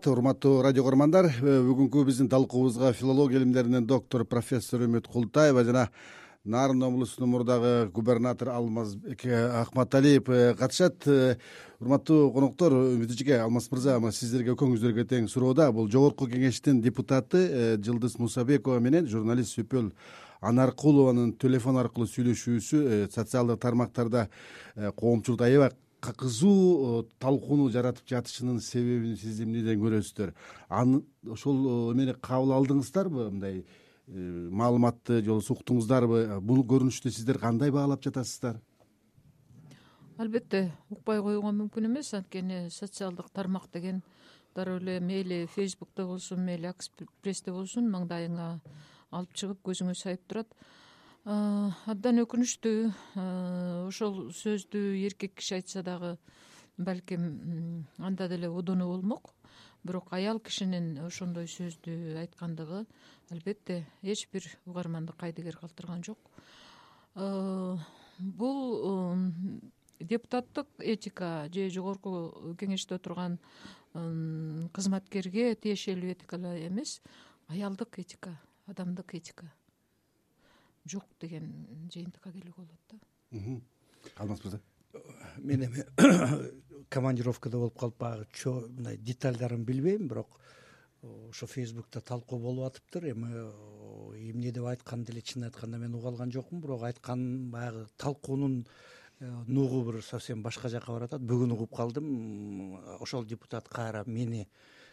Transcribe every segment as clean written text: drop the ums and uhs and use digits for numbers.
саламат, урматтуу радио көрөрмандар. Бүгүнкү биздин талкуубузга филология илимдеринин доктор профессор Үмүт Култаева жана Нарын облусунун мурдагы губернатору Алмазбек Акматалиев катышат. Урматтуу коноктор, Үмүт эжеке, Алмаз мырза, сиздерге экөөңүздөргө тең суроода. Бул жогорку кеңештин депутаты Жылдыз Мусабекова менен журналист Сөпөл Анаркулованын телефон аркылуу сүйлөшүүсү социалдык тармактарда коомчулукта аябай кызуу талкууну жаратып жатышынын себебин сиз эмнеден көрөсүздөр? Ошол эмени кабыл алдыңыздарбы? Мындай маалыматты же уктуңуздарбы? Бул көрүнүштү сиздер кандай баалап жатасыздар? Албетте укпай коюуга мүмкүн эмес, анткени социалдык тармак деген дароо эле мейли Фейсбукта болсун, мейли Акспрессте болсун, маңдайыңа алып чыгып көзүңө сайып турат. Абдан өкүнүчтүү. Ошол сөздү эркек киши айтса дагы балким анда деле удуну болмок. Бирок аял кишинин ошондой сөздү айткандыгы албетте эч бир угарманды кайдыгер калтырган жок. Бул депутаттык этика же жогорку кеңеште отурган кызматкерге тиешелүү этика эле эмес, аялдык этика, адамдык этика жок деген жыйынтыкка келүүгө болот да. Алмаз мырза, мен эми командировкада болуп калып баягы мындай детальдарын билбейм, бирок ошо Фейсбукта талкуу болуп атыптыр. Эми эмне деп айтканды деле чын айтканда мен уга алган жокмун, бирок айткан баягы талкуунун нугу бир совсем башка жака баратат. Бүгүн угуп калдым, ошол депутат кайра мени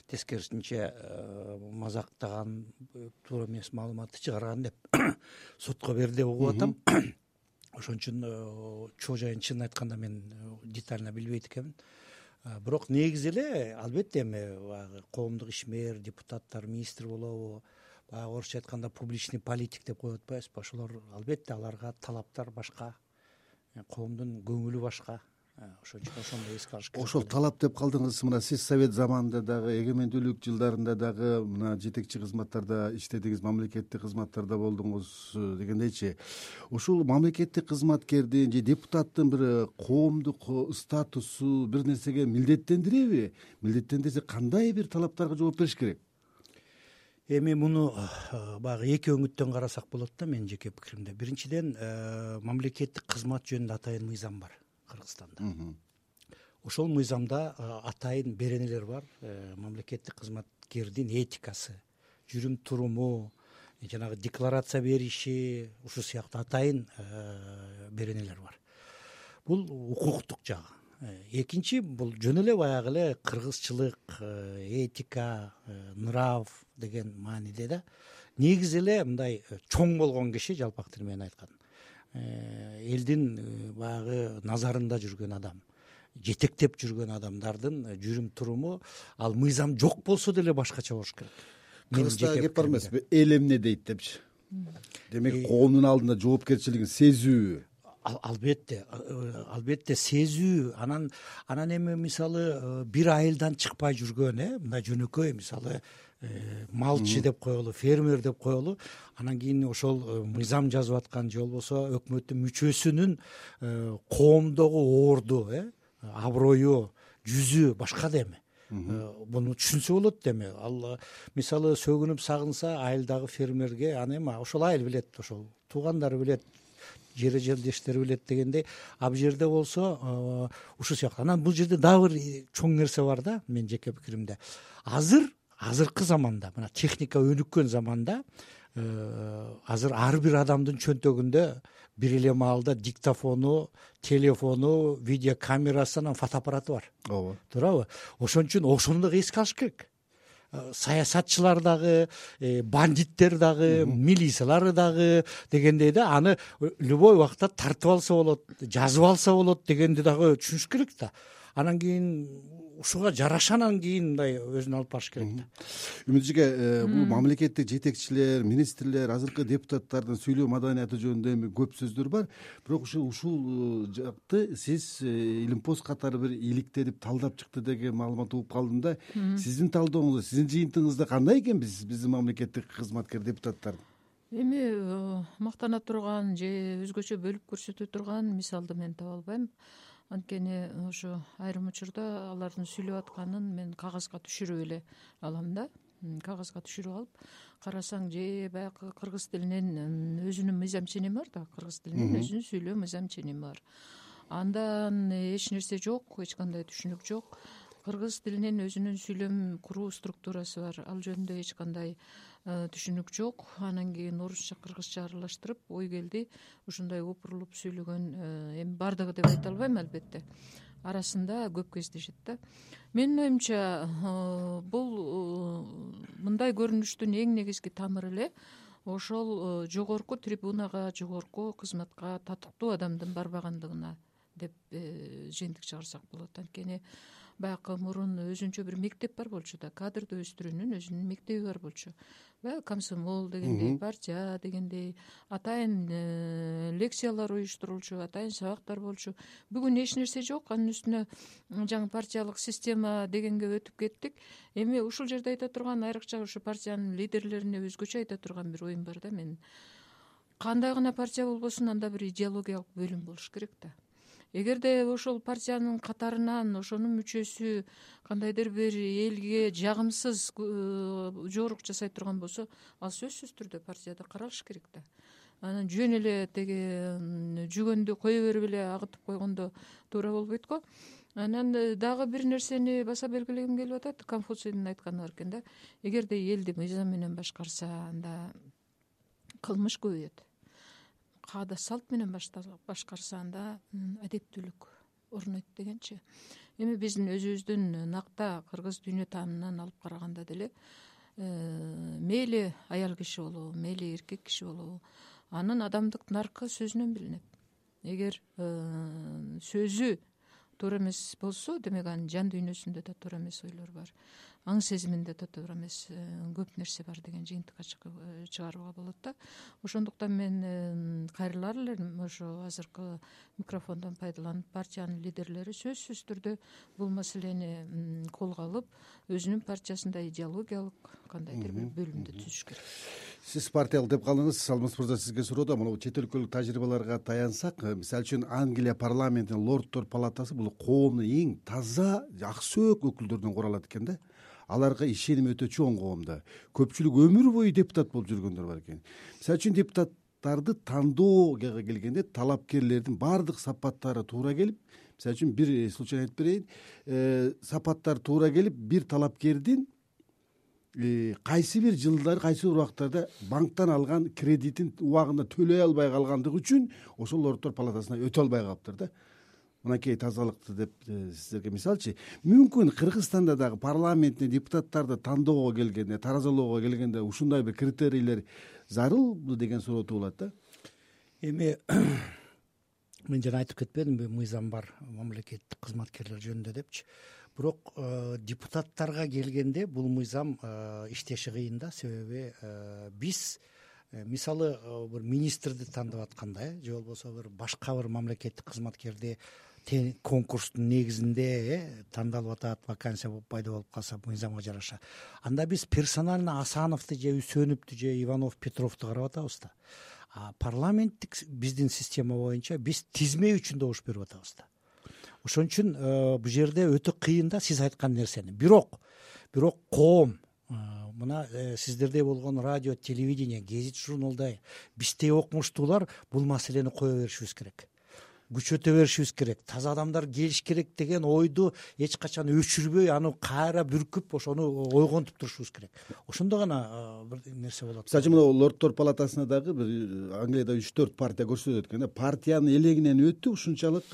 тескерисинче мазактаган, туура эмес маалыматты чыгарган деп сотко берди деп угуп атам. Ошон үчүн чоо жайын чын айтканда мен детально билбейт экенмин. Бирок негизи эле албетте эми баягы коомдук ишмер, депутаттар, министр болобу, баягы орусча айтканда публичный политик деп коюп атпайбызбы? Ошолор албетте аларга талаптар башка, коомдун көңүлү башка. Ошон үчүн ошондой эске алыш керек. Ошол талап деп калдыңыз. Мына сиз совет заманында дагы, эгемендүүлүк жылдарында дагы мына жетекчи кызматтарда иштедиңиз, мамлекеттик кызматтарда болдуңуз дегендейчи. Ушул мамлекеттик кызматкердин же депутаттын бир коомдук статусу бир нерсеге милдеттендиреби? Милдеттендирсе кандай бир талаптарга жооп бериш керек? Эми муну баягы эки өңүттөн карасак болот да, менин жеке пикиримде. Биринчиден, мамлекеттик кызмат жөнүндө атайын мыйзам бар Кыргызстанда. Ошол мыйзамда атайын беренелер бар. Мамлекеттик кызматкердин этикасы, жүрүм туруму, жанагы декларация бериши, ушул сыяктуу атайын беренелер бар. Бул укуктук жагы. Экинчи, бул жөн эле баягы эле кыргызчылык, этика, нрав деген мааниде да. Негизи эле мындай чоң болгон киши, жалпак тил менен айтканда, элдин баягы назарында жүргөн адам, жетектеп жүргөн адамдардын жүрүм туруму, ал мыйзам жок болсо деле башкача болуш керек. Кыргызда кеп бар эмеспи? Эл эмне дейт депчи. Демек коомдун алдында жоопкерчилигин сезүү. Албетте сезүү. Анан эми мисалы бир айылдан чыкпай жүргөн, мындай жөнөкөй, мисалы малчы деп коелу, фермер деп коелу, анан кийин ошол мыйзам жазып аткан же болбосо өкмөттүн мүчөсүнүн коомдогу орду, аброю, жүзү башка да эми. Буну түшүнсө болот эми. Ал мисалы сөгүнүп сагынса айылдагы фермерге, аны эми ошол айыл билет, ошол туугандары билет, жер жердештери билет дегендей. А бул жерде болсо ушул сыяктуу. Анан бул жерде дагы бир чоң нерсе бар да, менин жеке пикиримде. Азыркы заманда, мына техника өнүккөн заманда, азыр ар бир адамдын чөнтөгүндө бир эле маалда диктофону, телефону, видеокамерасы, анан фотоаппараты бар. Ооба. Туурабы? Ошон үчүн ошону дагы эске алыш керек. Саясатчылар дагы, бандиттер дагы, милициялар дагы дегендей да, аны любой убакта тартып алса болот, жазып алса болот дегенди дагы түшүнүш керек да. Анан кийин ушуга жараша анан кийин мындай өзүн алып барыш керек да. Үмүт эжеке, бул мамлекеттик жетекчилер, министрлер, азыркы депутаттардын сүйлөө маданияты жөнүндө эми көп сөздөр бар. Бирок ушул жакты сиз илимпоз катары бир иликтенип талдап чыкты деген маалымат угуп калдым да. Сиздин талдооңузда, сиздин жыйынтыгыңызда кандай экен биздин мамлекеттик кызматкер депутаттар? Эми мактана турган же өзгөчө бөлүп көрсөтө турган мисалды мен таба албайм. анткени ошо айрым учурда алардын сүйлөп атканын мен кагазга түшүрүп эле алам да. Кагазга түшүрүп алып карасаң, же баягы кыргыз тилинин өзүнүн мыйзам ченеми бар да, кыргыз тилинин өзүнүн сүйлөө мыйзам ченеми бар. Андан эч нерсе жок, эч кандай түшүнүк жок. Кыргыз тилинин өзүнүн сүйлөм куруу структурасы бар, ал жөнүндө эч кандай түшүнүк жок. Анан кийин орусча кыргызча аралаштырып ой келди, ушундай опурулуп сүйлөгөн, эми бардыгы деп айта албайм албетте, арасында көп кездешет да. Менин оюмча бул мындай көрүнүштүн эң негизги тамыры эле ошол жогорку трибунага, жогорку кызматка татыктуу адамдын барбагандыгына деп жыйынтык чыгарсак болот. Анткени баягы мурун өзүнчө бир мектеп бар болчу да, кадрды өстүрүүнүн өзүнүн мектеби бар болчу. Баягы комсомол дегендей, партия дегендей атайын лекциялар уюштурулчу, атайын сабактар болчу. Бүгүн эч нерсе жок, анын үстүнө жаңы партиялык система дегенге өтүп кеттик. Эми ушул жерде айта турган, айрыкча ушу партиянын лидерлерине өзгөчө айта турган бир оюм бар да менин. Кандай гана партия болбосун, анда бир идеологиялык бөлүм болуш керек да. Эгерде ошол партиянын катарынан ошонун мүчөсү кандайдыр бир элге жагымсыз жорук жасай турган болсо, ал сөзсүз түрдө партияда каралыш керек да. Анан жөн эле теги жүгөндү кое берип эле агытып койгондо туура болбойт го. Анан дагы бир нерсени баса белгилегим келип атат. Конфуцийдин айтканы бар экен да. Эгерде элди мыйзам менен башкарса, анда кылмыш көбөйөт. Каада салт менен башкарса, анда адептүүлүк орнойт дегенчи. Эми биздин өзүбүздүн накта кыргыз дүйнө таанынан алып караганда деле мейли аял киши болобу, мейли эркек киши болобу, анын адамдык наркы сөзүнөн билинет. Эгер сөзү туура эмес болсо, демек анын жан дүйнөсүндө да туура эмес ойлор бар, аң сезиминде да туура эмес көп нерсе бар деген жыйынтыкка чыгарууга болот да. Ошондуктан мен кайрылар элем ошо азыркы микрофондон пайдаланып партиянын лидерлери сөзсүз түрдө бул маселени колго алып, өзүнүн партиясында идеологиялык кандайдыр бир бөлүмдү түзүш керек. Сиз партиялык деп калдыңыз, Алмаз мырза, сизге суроо да, мына чет өлкөлүк тажрыйбаларга таянсак, мисалы үчүн Англия парламентинин Лорддор палатасы бул коомдун эң таза, ак сөөк өкүлдөрүнөн куралат экен да. Аларга ишеним өтө чоң коомдо. Көпчүлүк өмүр бою депутат болуп жүргөндөр бар экен. Мисалы үчүн депутаттарды тандоого келгенде талапкерлердин баардык сапаттары туура келип, мисалы үчүн бир случай айтып берейин, сапаттар туура келип, бир талапкердин кайсы бир жылдары, кайсы бир убактарда банктан алган кредитин убагында төлөй албай калгандыгы үчүн ошол Лорддор палатасына өтө албай калыптыр да. Мынакей тазалыкты деп сиздерге мисалчы. Мүмкүн Кыргызстанда дагы парламентте депутаттарды тандоого келгенде, таразалоого келгенде ушундай бир критерийлер зарылбы деген суроо туулат да. Эми мен жана айтып кетпедимби, мыйзам бар мамлекеттик кызматкерлер жөнүндө депчи. Бирок депутаттарга келгенде бул мыйзам иштеши кыйын да. Себеби биз мисалы бир министрди тандап атканда, же болбосо бир башка бир мамлекеттик кызматкерди конкурстун негизинде тандалып атат, вакансия пайда болуп калса мыйзамга жараша, анда биз персонально Асановду же Үсөновду же Иванов Петровду карап атабыз да. А парламенттик биздин система боюнча биз тизме үчүн добуш берип атабыз да. Ошон үчүн бул жерде өтө кыйын да сиз айткан нерсени. Бирок коом, мына сиздерде болгон радио, телевидение, гезит, журналда биздей окумуштуулар бул маселени кое беришибиз керек. Күчөтө беришибиз керек. Таза адамдар келиш керек деген ойду эч качан өчүрбөй, аны кайра бүркүп, ошону ойгонтуп турушубуз керек. Ошондо гана бир нерсе болот. Мисалы үчүн Лорддор палатасына дагы бир Англияда 3-4 партия көрсөтөт экен да. Партиянын элегинен өтүп, ушунчалык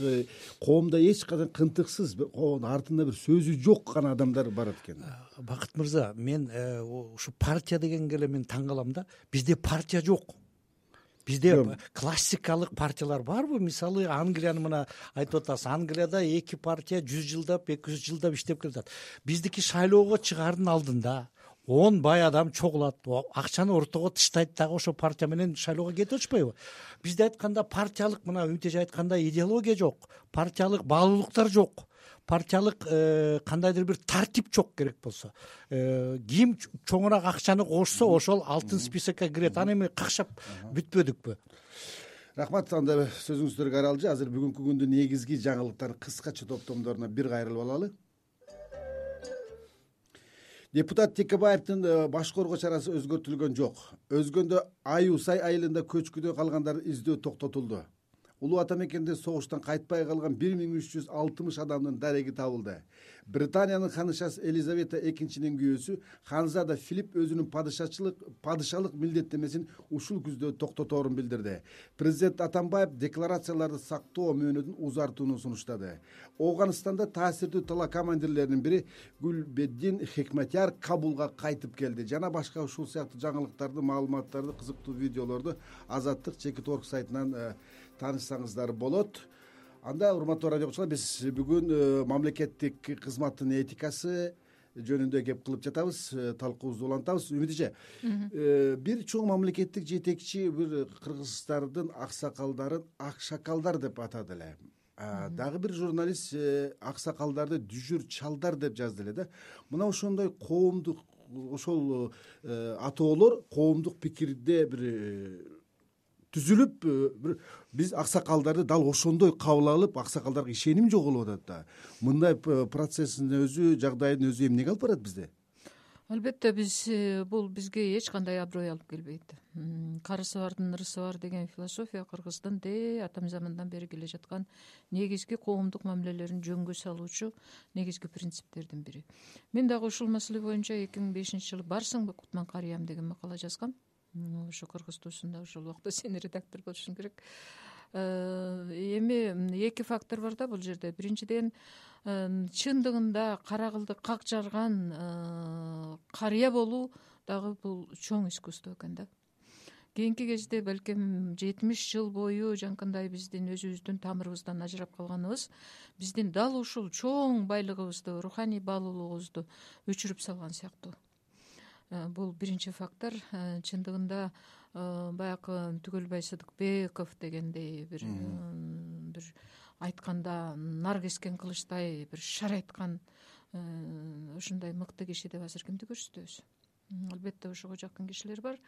коомдо эч качан кынтыксыз, артында бир сөзү жок гана адамдар барат экен. Бакыт мырза, мен ушу партия дегенге эле мен таң калам да. Бизде партия жок. Бизде классикалык партиялар барбы? Мисалы Англияны мына айтып атасыз. Англияда 2 партия 100 жылдап, 200 жылдап иштеп келатат. Биздики шайлоого чыгаардын алдында 10 бай адам чогулат, акчаны ортого таштайт дагы ошо партия менен шайлоого кетип атышпайбы? Бизде айтканда партиялык, мына Үмүтөж айткандай, идеология жок, партиялык баалуулуктар жок. Партиялык кандайдыр бир тартип жок керек болсо. Ким чоңураак акчаны кошсо, ошол алтын списокко кирет. Аны эми какшап бүтпөдүкпү? Рахмат. Анда сөзүңүздөргө аралжы. Азыр бүгүнкү күндүн негизги жаңылыктарын кыскача топтомдоруна бир кайрылып алалы. Депутат Текебаевдин баш коргоо чарасы өзгөртүлгөн жок. Өзгөндө Аюсай айылында көчкүдө калгандарды издөө токтотулду. Улуу ата мекенде согуштан кайтпай калган 1360 адамдын дареги табылды. Британиянын ханышасы Елизавета экинчинин күйөөсү Ханзада Филипп өзүнүн падышалык милдеттемесин ушул күздө токтоторун билдирди. Президент Атамбаев декларацияларды сактоо мөөнөтүн узартууну сунуштады. Ооганстанда таасирдүү тала командирлеринин бири Гүлбеддин Хекматяр Кабулга кайтып келди. Жана башка ушул сыяктуу жаңылыктарды, маалыматтарды, кызыктуу видеолорду Азаттык Чекит.орг сайтынан таанышсаңыздар болот. Анда урматтуу радио окуучулар, биз бүгүн мамлекеттик кызматтын этикасы жөнүндө кеп кылып жатабыз, талкуубузду улантабыз. Үмүт эже, бир чоң мамлекеттик жетекчи бир кыргыздардын аксакалдарын акшакалдар деп атады эле. Дагы бир журналист аксакалдарды дүжүр чалдар деп жазды эле да. Мына ошондой коомдук ошол атоолор коомдук пикирде бир түзүлүп, биз аксакалдарды дал ошондой кабыл алып, аксакалдарга ишеним жоголуп атат да. Мындай процесстин өзү, жагдайдын өзү эмнеге алып барат бизде? Албетте, бул бизге эч кандай аброй алып келбейт. Карысы бардын ырысы бар деген философия кыргыздын атамзамандан бери келе жаткан негизги коомдук мамилелерин жөнгө салуучу негизги принциптердин бири. Мен дагы ушул маселе боюнча 2005-жылы Барсыңбы Кутман карыям деген макала жазгам. Ошо кыргыз туусунда ошол убакта сен редактор болушуң керек. Эми эки фактор бар да бул жерде. Биринчиден, чындыгында кара кылды как жарган карыя болуу дагы бул чоң искусство экен да. Кийинки кезде балким 70 жыл бою жанкындай биздин өзүбүздүн тамырыбыздан ажырап калганыбыз биздин дал ушул чоң байлыгыбызды, руханий баалуулугубузду өчүрүп салган сыяктуу. Бул биринчи фактор. Чындыгында баягы Түгөлбай Сыдыкбеков дегендей бир айтканда нар кескен кылычтай бир шар айткан ушундай мыкты киши деп азыр кимди көрсөтөбүз? Албетте ошого жакын кишилер бар.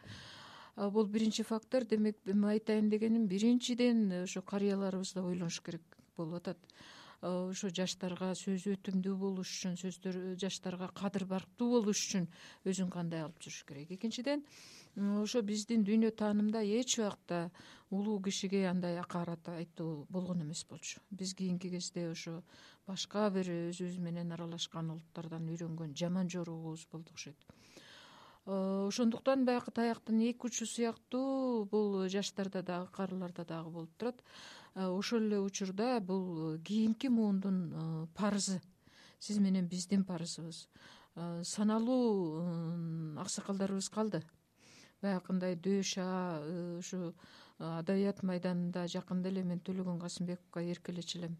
Бул биринчи фактор. Демек, айтайын дегеним, биринчиден ошо карыяларыбызды ойлонуш керек болуп атат. Ошо жаштарга сөзү өтүмдүү болуш үчүн, жаштарга кадыр барктуу болуш үчүн өзүн кандай алып жүрүш керек. Экинчиден, ошо биздин дүйнө таанымда эч убакта улуу кишиге андай акарат айтуу болгон эмес болчу. Биз кийинки кезде ошо башка бир өзүбүз менен аралашкан улуттардан үйрөнгөн жаман жоругубуз болду окшойт. Ошондуктан баягы таяктын эки учу сыяктуу бул жаштарда дагы, карыларда дагы болуп турат. Ошол эле учурда бул кийинки муундун парызы, сиз менен биздин парызыбыз. Саналуу аксакалдарыбыз калды. Баягындай дөша ушу адабият майданында жакында эле мен Төлөгөн Касымбековго эркелечү элем.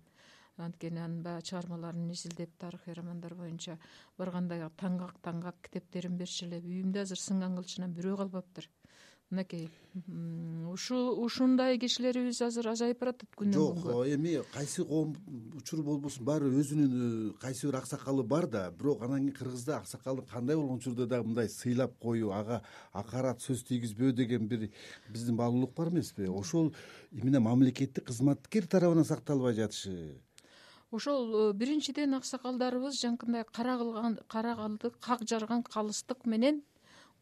Анткени анын баягы чыгармаларын изилдеп, тарыхый романдар боюнча барганда таңгак китептерин берчү эле. Үйүмдө азыр сынган кылычынан бирөө калбаптыр. Мынакей, ушундай кишилерибиз азыр азайып баратат күнөн күнгө. Жок, эми кайсы коом учур болбосун баары өзүнүн кайсы бир аксакалы бар да, бирок анан кийин кыргызда аксакалдын кандай болгон учурда дагы мындай сыйлап коюу, ага акарат сөз тийгизбөө деген бир биздин баалуулук бар эмеспи? Ошол эмне мамлекеттик кызматкер тарабынан сакталбай жатышы. Ошол биринчиден аксакалдарыбыз жанкындай кара калды как жарган калыстык менен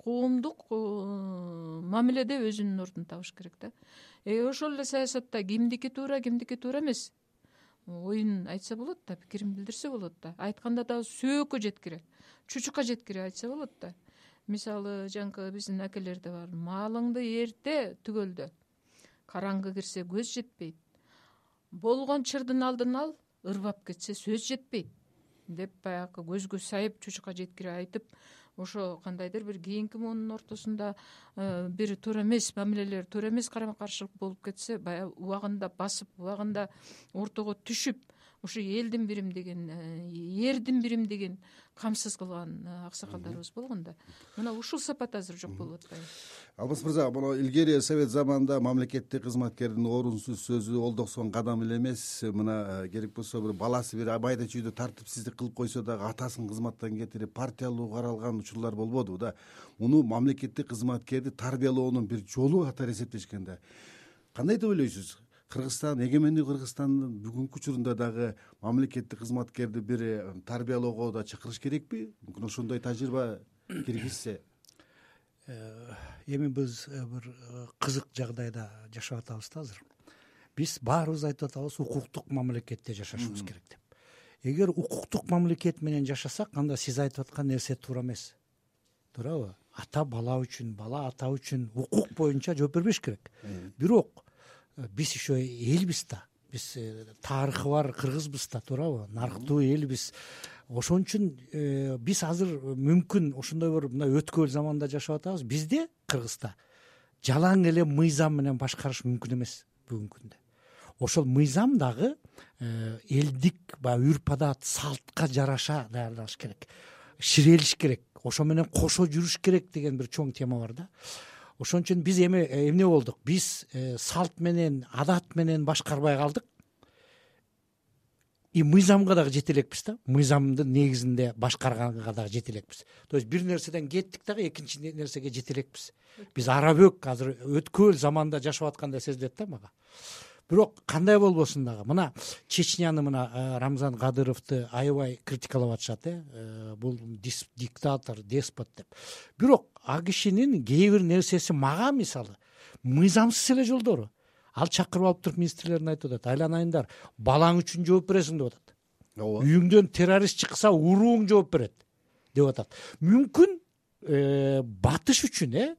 коомдук мамиледе өзүнүн ордун табыш керек да. Ошол эле саясатта кимдики туура, кимдики туура эмес оюн айтса болот да, пикирин билдирсе болот да. Айтканда дагы сөөккө жеткире, чучукка жеткире айтса болот да. Мисалы, жанкы биздин акелерде бар: малыңды эрте түгөлдө, караңгы кирсе көз жетпейт, болгон чырдын алдын ал, ырбап кетсе сөз жетпейт деп баягы көзгө сайып, чучукка жеткире айтып, ошо кандайдыр бир кийинки муунун ортосунда бир туура эмес мамилелер, туура эмес карама-каршылык болуп кетсе, баягы убагында басып, убагында ортого түшүп, ушу элдин биримдигин, эрдин биримдигин камсыз кылган аксакалдарыбыз болгон да. Мына ушул сапат азыр жок болуп атпайбы? Алмаз мырза, мына илгери Совет заманында мамлекеттик кызматкердин орунсуз сөзү олдоксон кадам эле эмес. Мына керек болсо бир баласы бир майда чүйдө тартипсиздик кылып койсо дагы атасын кызматтан кетирип партиялуу каралган учурлар болбодубу да. Муну мамлекеттик кызматкерди тарбиялоонун бир жолу катары эсептешкен да. кандай деп ойлойсуз? Кыргызстан, эгемендүү Кыргызстандын бүгүнкү учурунда дагы мамлекеттик кызматкерди бир тарбиялоого да чакырыш керекпи? Мүмкүн ошондой тажрыйба киргизсе. Эми биз бир кызык жагдайда жашап атабыз да азыр. Биз баарыбыз айтып атабыз укуктук мамлекетте жашашыбыз керек деп. Эгер укуктук мамлекет менен жашасак, анда сиз айтып аткан нерсе туура эмес. Туурабы? Ата бала үчүн, бала ата үчүн укук боюнча жооп бербеш керек. Бирок биз еще элбиз да. Биз тарыхы бар кыргызбыз да, туурабы? Нарктуу элбиз. Ошон үчүн биз азыр мүмкүн ошондой бир мына өткөл заманда жашап атабыз. Бизде Кыргызда жалаң эле мыйзам менен башкарыш мүмкүн эмес бүгүнкү күндө. Ошол мыйзам дагы элдик баягы үрп адат, салтка жараша даярдалыш керек. Ширелиш керек. Ошо менен кошо жүрүш керек деген бир чоң тема бар да. Ошон үчүн биз эмне болдук? Биз салт менен, адат менен башкарбай калдык. И мыйзамга дагы жете элекпиз да. Мыйзамдын негизинде башкарганга дагы жете элекпиз. То есть бир нерседен кеттик дагы экинчи нерсеге жете элекпиз. Биз арабөк азыр өткөл заманда жашап аткандай сезилет да мага. Бирок кандай болбосун дагы мына Чечняны мына Рамзан Кадыровду аябай критикалап атышат, бул диктатор, деспот деп. Бирок а кишинин кээ бир нерсеси мага мисалы мыйзамсыз эле жолдору. Ал чакырып алып туруп министрлерине айтып атат, айланайындар, балаң үчүн жооп бересиң деп атат. Ооба. Үйүңдөн террорист чыкса урууң жооп берет деп атат. Мүмкүн батыш үчүн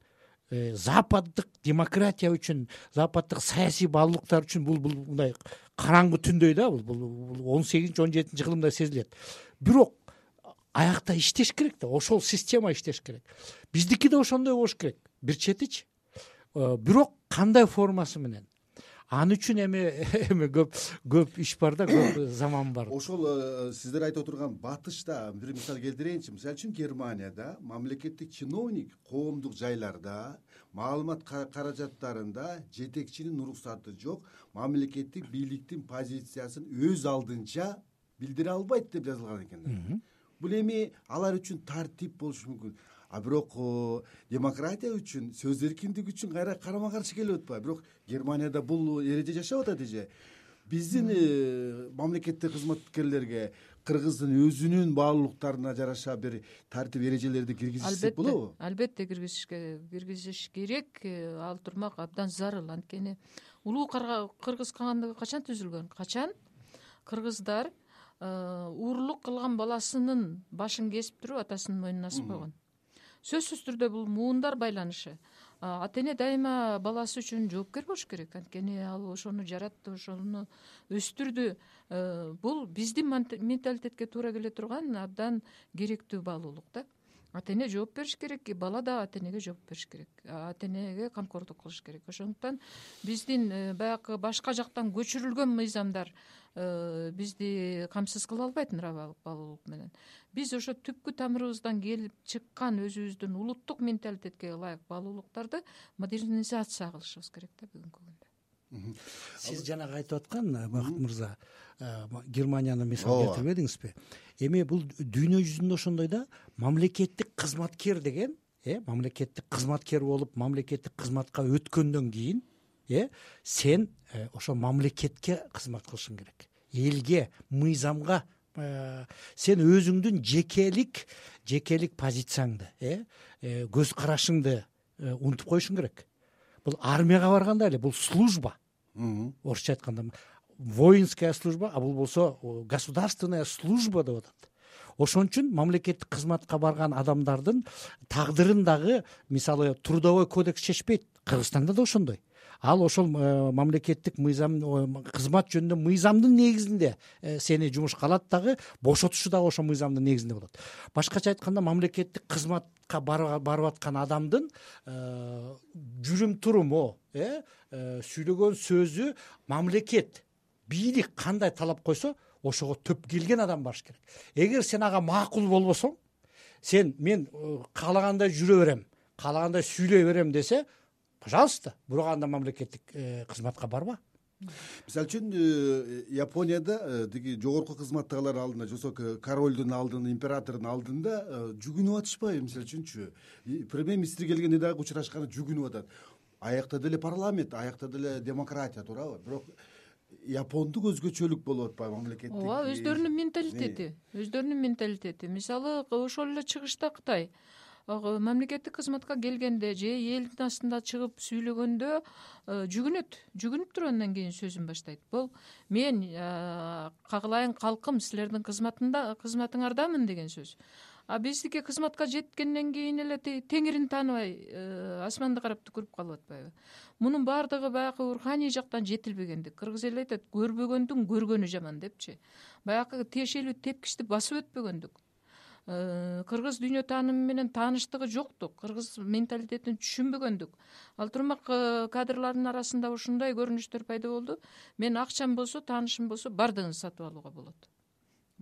западдык демократия үчүн, западдык саясий баалуулуктар үчүн бул мындай караңгы түндөй да, бул 18-17 кылымда сезилет. Бирок аякта иштеш керек да, ошол система иштеш керек. Биздики да ошондой болуш керек. Бир четичи. Бирок кандай формасы менен? Аны үчүн эми көп иш бар да, көп заман бар. Ошол сиздер айтып отурган батышта бир мисал келтирейинчи. Мисалы үчүн Германияда мамлекеттик чиновник коомдук жайларда маалымат каражаттарында жетекчинин уруксаты жок, мамлекеттик бийликтин позициясын өз алдынча билдире албайт деп жазылган экен. Бул эми алар үчүн тартип болушу мүмкүн. А бирок демократия үчүн, сөз эркиндиги үчүн кайра карама каршы келип атпайбы? Бирок Германияда бул эреже жашап атат эже. Биздин мамлекеттик кызматкерлерге Кыргыздын өзүнүн баалуулуктарына жараша бир тартип эрежелерди киргизсек болобу? Албетте киргизиш керек. Ал турмак абдан зарыл. Анткени улуу Кыргыз кагандыгы качан түзүлгөн? Качан кыргыздар уурлук кылган баласынын башын кесип туруп атасынын мойнуна асып койгон. Сөзсүз түрдө бул муундар байланышы. Ата эне дайыма баласы үчүн жоопкер болуш керек. Анткени ал ошону жаратты, ошону өстүрдү. Бул биздин менталитетке туура келе турган абдан керектүү баалуулук да. Ата эне жооп бериш керек, бала да ата энеге жооп бериш керек. Ата энеге камкордук кылыш керек. Ошондуктан биздин баягы башка жактан көчүрүлгөн мыйзамдар бизди камсыз кыла албайт нравалык баалуулук менен. Биз ошо түпкү тамырыбыздан келип чыккан өзүбүздүн улуттук менталитетке ылайык баалуулуктарды модернизация кылышыбыз керек да бүгүнкү күндө. Сиз жанагы айтып аткан Бакыт мырза, Германияны мисал келтирбедиңизби? Эми бул дүйнө жүзүндө ошондой да, мамлекеттик кызматкер деген, мамлекеттик кызматкер болуп, мамлекеттик кызматка өткөндөн кийин, сен ошо мамлекетке кызмат кылышың керек. Элге, мыйзамга сен өзүңдүн жекелик позицияңды, көз карашыңды унутуп коюшуң керек. Бул армияга барганда эле бул служба. Орусча айтканда воинская служба, а бул болсо государственная служба деп атат. Ошон үчүн мамлекеттик кызматка барган адамдардын тагдырын дагы мисалы трудовой кодекс чечпейт. Кыргызстанда да ошондой. Ал ошол мамлекеттик мыйзам, кызмат жөнүндө мыйзамдын негизинде сени жумушка алат дагы, бошотушу дагы ошол мыйзамдын негизинде болот. Башкача айтканда мамлекеттик кызматка барып аткан адамдын жүрүм туруму, сүйлөгөн сөзү мамлекет, бийлик кандай талап койсо, ошого төп келген адам барыш керек. Эгер сен ага макул болбосоң, мен каалагандай жүрө берем, каалагандай сүйлөй берем десе, пожалуйста, бирок анда мамлекеттик кызматка барба. Мисалы үчүн Японияда тиги жогорку кызматтагылар алдында, жосо королдун алдында, императордун алдында жүгүнүп атышпайбы? Мисалы үчүнчү, премьер-министр келгенде дагы учурашканы жүгүнүп атат. аякта деле парламент, аякта деле демократия туурабы, бирок япондук өзгөчөлүк болуп атпайбы мамлекеттик? ооба, өздөрүнүн менталитети. Мисалы ошол эле чыгышта Кытай мамлекеттик кызматка келгенде же элдин астында чыгып сүйлөгөндө жүгүнүп туруп андан кийин сөзүн баштайт. Бул мен кагылайын калкым, силердин кызматыңардамын деген сөз. А биздики кызматка жеткенден кийин эле теңирин тааныбай асманды карап түкүрүп калып атпайбы? Мунун баардыгы баягы руханий жактан жетилбегендик. Кыргыз эли айтат, көрбөгөндүн көргөнү жаман депчи. Баягы тиешелүү тепкичти басып өтпөгөндүк. Кыргыз дүйнө таанымы менен тааныштыгы жоктук, кыргыз менталитетин түшүнбөгөндүк. Ал турмак кадрлардын арасында ушундай көрүнүштөр пайда болду. Мен акчам болсо, таанышым болсо, бардыгын сатып алууга болот.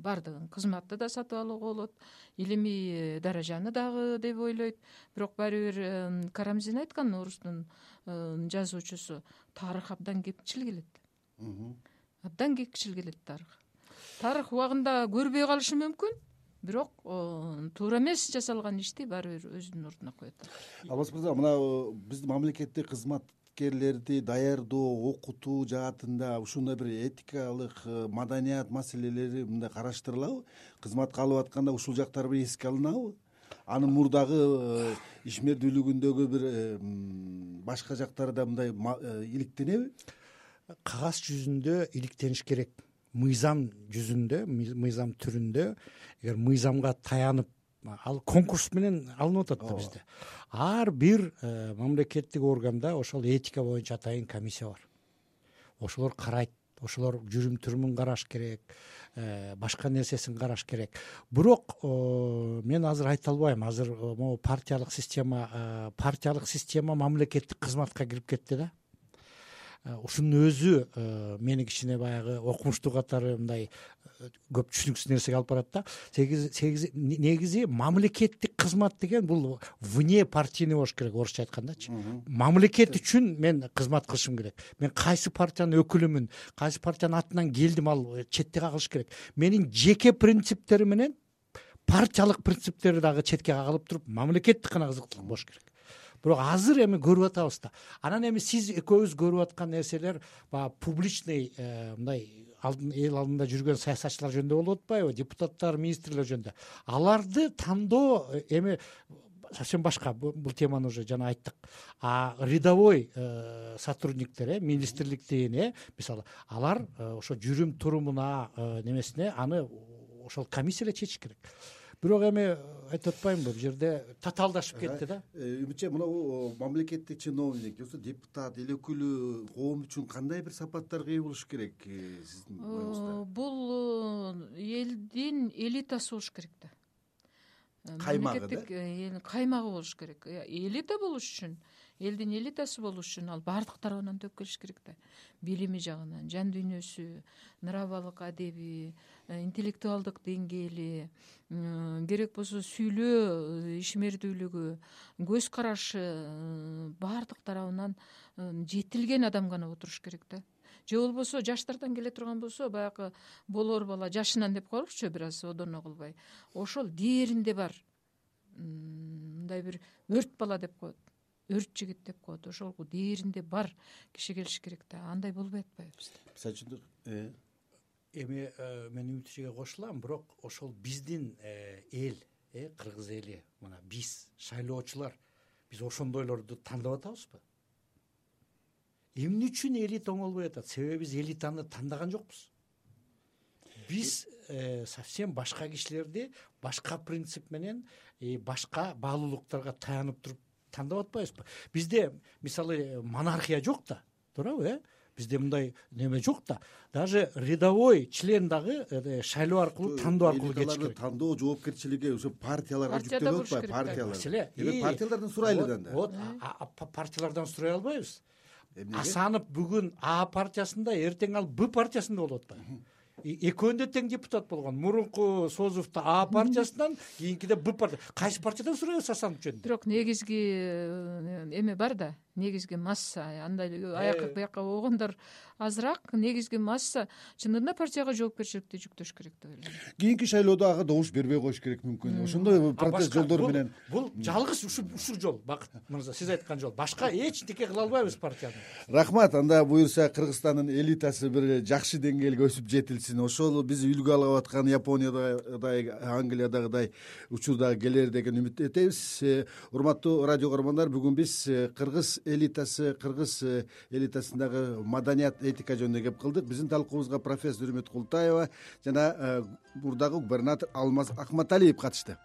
Бардыгын, кызматты да сатып алууга болот, илимий даражаны дагы деп ойлойт. Бирок баары бир Карамзин айткан, орустун жазуучусу, тарых абдан кепчил келет. Абдан кепчил келет тарых. Тарых убагында көрбөй калышы мүмкүн, бирок туура эмес жасалган ишти баары бир өзүнүн ордуна коет. Алмаз мырза, мына биздин мамлекеттик кызматкерлерди даярдоо, окутуу жаатында ушундай бир этикалык, маданият маселелери мындай караштырылабы? Кызматка алып атканда ушул жактар бир эске алынабы? Анын мурдагы ишмердүүлүгүндөгү бир башка жактары да мындай иликтенеби? Кагаз жүзүндө иликтениш керек. Мыйзам жүзүндө, мыйзам түрүндө, эгер мыйзамга таянып, ал конкурс менен алынып атат да бизде. Ар бир мамлекеттик органда ошол этика боюнча атайын комиссия бар. Ошолор карайт, ошолор жүрүм-турумун караш керек, башка нерсесин караш керек. Бирок мен азыр айта албайм. Азыр могу партиялык система мамлекеттик кызматка кирип кетти да. Ушунун өзү мени кичине баягы окумуштуу катары мындай көп түшүнүксүз нерсеге алып барат да. Негизи мамлекеттик кызмат деген бул вне партийный болуш керек, орусча айткандачы. Мамлекет үчүн мен кызмат кылышым керек. Мен кайсы партиянын өкүлүмүн, кайсы партиянын атынан келдим, ал четке кагылыш керек. Менин жеке принциптерим менен партиялык принциптерди дагы четке кагылып туруп, мамлекеттик гана кызыктуу болуш керек. Бирок азыр эми көрүп атабыз да. Анан эми сиз экөөбүз көрүп аткан нерселер баягы публичный мындай эл алдында жүргөн саясатчылар жөнүндө болуп атпайбы? Депутаттар, министрлер жөнүндө. Аларды тандоо эми совсем башка. Бул теманы уже жана айттык. А рядовой сотрудниктер, министрликтин, мисалы, алар ошо жүрүм турумуна немесине аны ошол комиссия эле чечиш керек. Бирок эми айтып атпаймынбы, бул жерде татаалдашып кетти да. Үмүтче, мына мамлекеттик чиновник, депутат, эл өкүлү коом үчүн кандай бир сапаттарга ээ болуш керек сиздин оюңузда? Бул элдин элитасы болуш керек да. Каймагы да? Каймагы болуш керек. Элита болуш үчүн, элдин элитасы болуш үчүн ал баардык тарабынан төп келиш керек да. Билими жагынан, жан дүйнөсү, нравалык, адеби, интеллектуалдык деңгээли, керек болсо сүйлөө ишмердүүлүгү, көз карашы баардык тарабынан жетилген адам гана отуруш керек да. Же болбосо жаштардан келе турган болсо, баягы болор бала жашынан деп коелучу, бир аз одоно кылбай. Ошол дээринде бар. Мындай бир өрт бала деп коет. Өрт жигит деп коет. Ошол дээринде бар киши келиш керек да. Андай болбой атпайбы бизде? Мисалы үчүн Эми мен Үмүтчүгө кошулам, бирок ошол биздин эл, кыргыз эли, мына биз шайлоочулар, биз ошондойлорду тандап атабызбы? Эмне үчүн элита оңолбой атат? Себеби биз элитаны тандаган жокпуз. Биз совсем башка кишилерди башка принцип менен, башка баалуулуктарга таянып туруп тандап атпайбызбы? Бизде мисалы монархия жок да, туурабы? Бизде мындай неме жок да. Даже рядовой член дагы шайлоо аркылуу, тандоо аркылуу кетиш керек. Тандоо жоопкерчилиги ошо партияларга жүктөлүп атпайбы? Партиялар. Партиялардан сурайлы да. Вот, партиялардан сурай албайбыз. Асанов бүгүн А партиясында, эртең ал Б партиясында болуп атпайбы? экөөнү тең депутат болгон. Мурунку Созовдо А партиясынан, кийинкиде Б партия. Кайсы партиядан сурайбыз Асанов жөнүндө? Бирок негизги эме бар да, негизги масса, андай аяк бияка болгондор азыраак. Негизги масса чындыгында партияга жоопкерчиликти жүктөш керек деп ойлойм. Кийинки шайлоодо ага добуш бербей коюш керек мүмкүн. Ошондой протест жолдору менен. Бул жалгыз ушул жол, Бакыт мырза, сиз айткан жол. Башка эчтеке кыла албайбыз партияны. Рахмат. Анда буюрса Кыргызстандын элитасы бир жакшы деңгээлге өсүп жетилсин. Ошол биз үлгү алып аткан Япониядагыдай, Англиядагыдай учурдагы келер деген үмүт этебиз. Урматтуу радио көрөрмандар, бүгүн биз кыргыз элитасындагы маданият, этика жөнүндө кеп кылдык. Биздин талкуубузга профессор Үмүт Култаева жана мурдагы губернатор Алмаз Акматалиев катышты.